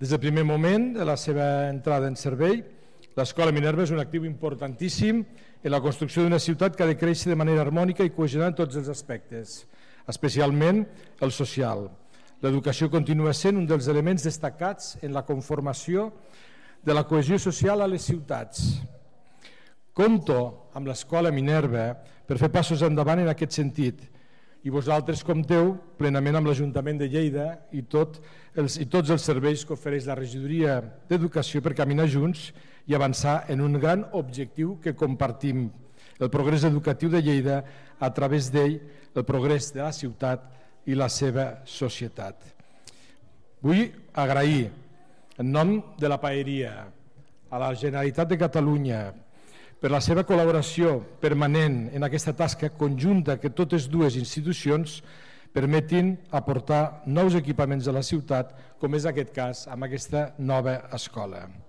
Des del primer moment de la seva entrada en servei, l'Escola Minerva és un actiu importantíssim en la construcció d'una ciutat que ha de créixer de manera harmònica i cohesionada en tots els aspectes, especialment el social. L'educació continua sent un dels elements destacats en la conformació de la cohesió social a les ciutats. Compto amb l'Escola Minerva per fer passos endavant en aquest sentit i vosaltres compteu plenament amb l'Ajuntament de Lleida i tots els serveis que ofereix la Regidoria d'Educació per caminar junts i avançar en un gran objectiu que compartim, el progrés educatiu de Lleida, a través d'ell el progrés de la ciutat i la seva societat. Vull agrair en nom de la Paeria a la Generalitat de Catalunya per la seva col·laboració permanent en aquesta tasca conjunta que totes dues institucions permetin aportar nous equipaments a la ciutat, com és aquest cas amb aquesta nova escola.